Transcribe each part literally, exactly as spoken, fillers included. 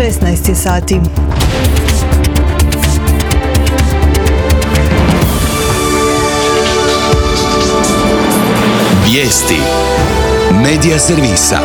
šesnaest je sati. Vijesti Medija servisa.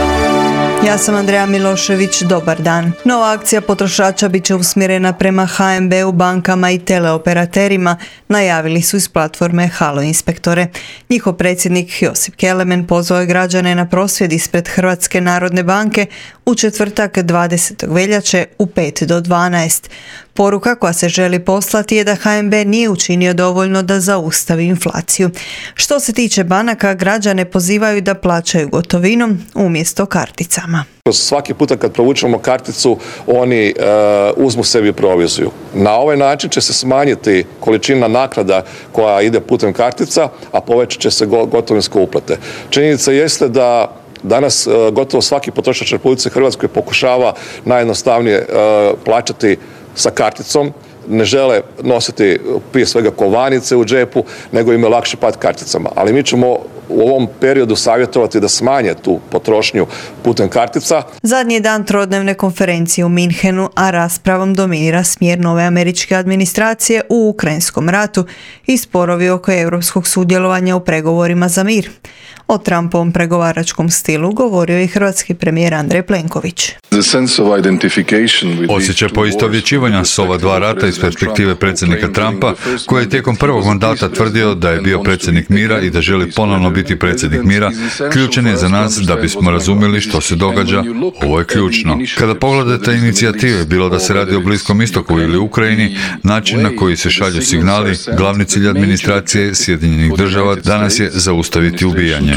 Ja sam Andreja Milošević, dobar dan. Nova akcija potrošača bit će usmjerena prema ha em be u, bankama i teleoperaterima, najavili su iz platforme Halo inspektore. Njihov predsjednik Josip Kelemen pozvao je građane na prosvjed ispred Hrvatske narodne banke u četvrtak dvadesetog veljače u pet do dvanaest. Poruka koja se želi poslati je da ha em be nije učinio dovoljno da zaustavi inflaciju. Što se tiče banaka, građane pozivaju da plaćaju gotovinom umjesto karticama. Svaki puta kad provučemo karticu, oni uh, uzmu sebi proviziju. Na ovaj način će se smanjiti količina naknada koja ide putem kartica, a povećat će se gotovinske uplate. Činjenica jeste da danas uh, gotovo svaki potrošač u Republici Hrvatskoj pokušava najjednostavnije uh, plaćati sa karticom, ne žele nositi prije svega kovanice u džepu, nego im je lakše plat karticama. Ali mi ćemo u ovom periodu savjetovati da smanje tu potrošnju putem kartica. Zadnji dan trodnevne konferencije u Minhenu, a raspravom dominira smjer nove američke administracije u Ukrajinskom ratu i sporovi oko europskog sudjelovanja u pregovorima za mir. O Trumpovom pregovaračkom stilu govorio i hrvatski premijer Andrej Plenković. Osjećaj poistovjećivanja s ova dva rata iz perspektive predsjednika Trumpa, koji je tijekom prvog mandata tvrdio da je bio predsjednik mira i da želi ponovno biti predsjednik mira, ključan je za nas da bismo razumjeli što se događa. Ovo je ključno. Kada pogledate inicijative, bilo da se radi o Bliskom istoku ili Ukrajini, način na koji se šalju signali, glavni cilj administracije Sjedinjenih država danas je zaustaviti ubijanje.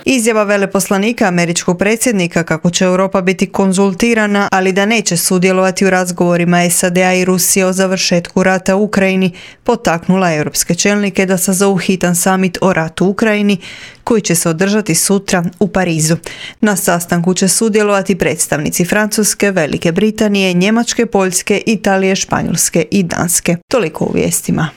Izjava veleposlanika američkog predsjednika kako će Europa biti konzultirana, ali da neće sudjelovati u razgovorima es a de a i Rusije o završetku rata u Ukrajini, potaknula europske čelnike da sazovu hitan samit o ratu u Ukrajini, koji će se održati sutra u Parizu. Na sastanku će sudjelovati predstavnici Francuske, Velike Britanije, Njemačke, Poljske, Italije, Španjolske i Danske. Toliko u vijestima.